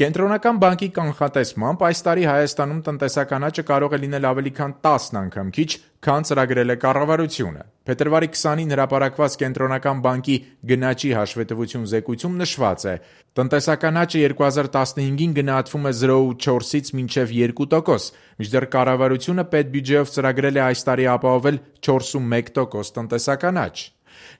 Կենտրոնական բանկի կանխատեսմամբ այս տարի Հայաստանում տնտեսական աճը կարող է լինել ավելի քան 10 անգամ քիչ, քան ծրագրել է կառավարությունը։ Փետրվարի 20-ին հրապարակված Կենտրոնական բանկի գնաճի հաշվետվություն զեկույցում նշված է. տնտեսական աճը 2015-ին գնահատվում է 0,4-ից մինչև 2%, մինչդեռ կառավարությունը պետբյուջեով ծրագրել է այս տարի ապահովել 4,1% տնտեսական աճ։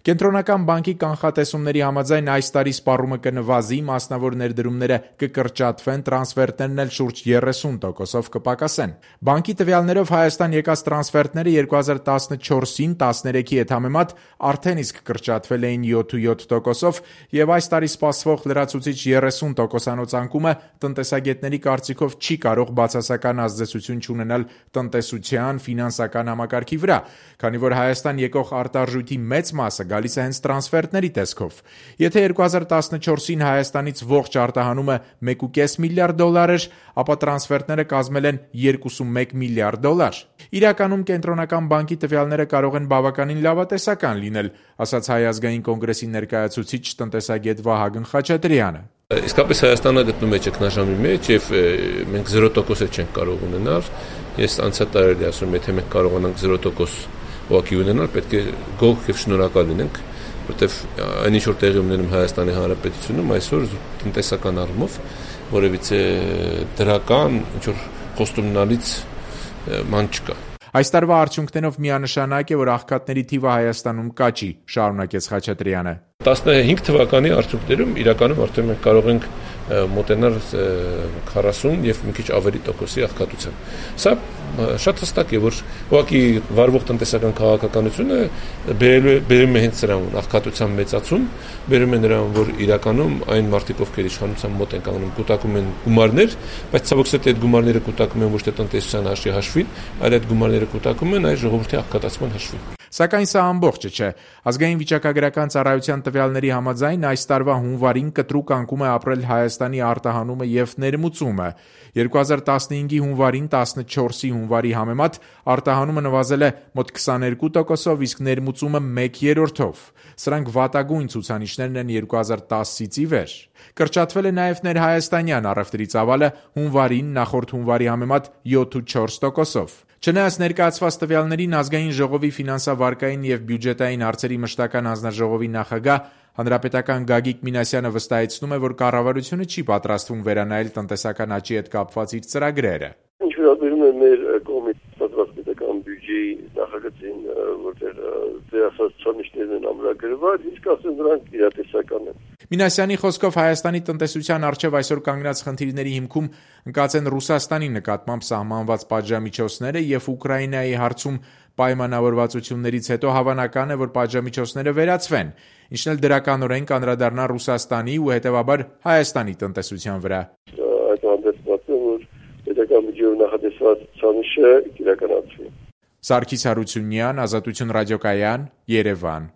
Կենտրոնական բանկի կանխատեսումների համաձայն այս տարի սպառումը կնվազի, մասնավոր ներդրումները կկրճատվեն, տրանսֆերտներն էլ շուրջ 30%-ով կպակասեն։ Բանկի տվյալներով Հայաստան եկած տրանսֆերտները 2014-ին 13-ի հետ համեմատ արդեն իսկ կրճատվել էին 7,7%-ով եւ այս տարի սպասվող լրացուցիչ 30% անկումը տնտեսագետների կարծիքով չի կարող բացասական ազդեցություն չունենալ տնտեսության, ֆինանսական համակարգի վրա, քանի որ Հայաստան եկող արտարժույթի մեծ մասը գալիս է հենց տրանսֆերտների տեսքով։ Եթե 2014-ին Հայաստանից ողջ արտահանումը $1.5 միլիարդ էր, ապա տրանսֆերտները կազմել են $2.1 միլիարդ։ Իրականում Կենտրոնական բանկի տվյալները կարող են բավականին լավատեսական լինել, ասաց Հայ ազգային կոնգրեսի ներկայացուցիչ տնտեսագետ Վահագն Խաչատրյանը։ Իսկապես Հայաստանը գտնվում է ճգնաժամի մեջ եւ մենք 0% չենք կարող ունենալ։ Ես անցյալ տարի ասում եմ, եթե մենք կարողանանք 0% ուղղակի ունենալ, պետք է գոհ եւ շնորհակալ լինենք, որտեվ այն ինչ որ տեղի ունենում Հայաստանի Հանրապետությունում այսօր տնտեսական առումով որևիցե դրական ինչ որ խոստումնալից ման չկա։ Այս տարվա արդյունքներով միանշանակ է, որ աղքատների թիվը Հայաստանում կաճի, շարունակեց Խաչատրյանը։ 15 թվականի արդյունքներում իրականում արդեն մենք կարող ենք մոտենալ 40 եւ մի քիչ ավելի տոկոսի աղքատության։ Սա շատ հստակ է, որ ուղղակի վարվող տնտեսական քաղաքականությունը բերում է հենց սրան աղքատության մեծացում, բերում է նրան, որ իրականում այն մարդիկ, ովքեր իշխանության մոտ են կանգնում, կուտակում են գումարներ, բայց ցավոք սրտի այդ գումարները կուտակում են ոչ թե տնտեսության հաշվին, այլ այդ գումարները կուտակում են այս ժողովրդի աղքատացման հաշվին։ Սակայն սա ամբողջը չէ։ Ազգային վիճակագրական ծառայության տվյալների համաձայն այս տարվա հունվարին կտրուկ անկում է ապրել Հայաստանի արտահանումը եւ ներմուծումը։ 2015-ի հունվարին 14-ի հունվարի համեմատ արտահանումը նվազել է մոտ 22%-ով, իսկ ներմուծումը 1/3-ով։ Սրանք վատագույն ցուցանիշներն են 2010-ից ի վեր։ Կրճատվել է նաև ներհայաստանյան առևտրի ծավալը հունվարին նախորդ հունվարի համեմատ 7,4%-ով։ Չնայած ներկայացված տվյալներին ազգային ժողովի ֆինանսավարկային եւ բյուջետային հարցերի մշտական հանձնաժողովի նախագահ հանրապետական Գագիկ Մինասյանը վստահեցնում է, որ կառավարությունը չի պատրաստվում վերանայել տնտեսական աճի հետ կապված իր ծրագրերը։ Ինչ վերաբերում է մեր կողմից պատրաստական բյուջեի նախագծին, որտեղ դերասած ցուցանիշներն են ամրագրված, իսկ ասեն նրանք իրատեսական են։ Մինասյանի խոսքով Հայաստանի տնտեսության առջև այսօր կանգնած խնդիրների հիմքում ընկած են Ռուսաստանի նկատմամբ սահմանված պատժամիջոցները եւ Ուկրաինայի հարցում պայմանավորվածություններից հետո հավանական է, որ պատժամիջոցները վերացվեն, ինչն էլ դրականորեն կանդրադառնա Ռուսաստանի ու հետեւաբար Հայաստանի տնտեսության վրա։ Այդ հանդեպ որ պետական բյուջեով նախատեսված ցուցանիշը իրականացվի։ Սարգիս Հարությունյան, Ազատություն ռադիոկայան, Երևան։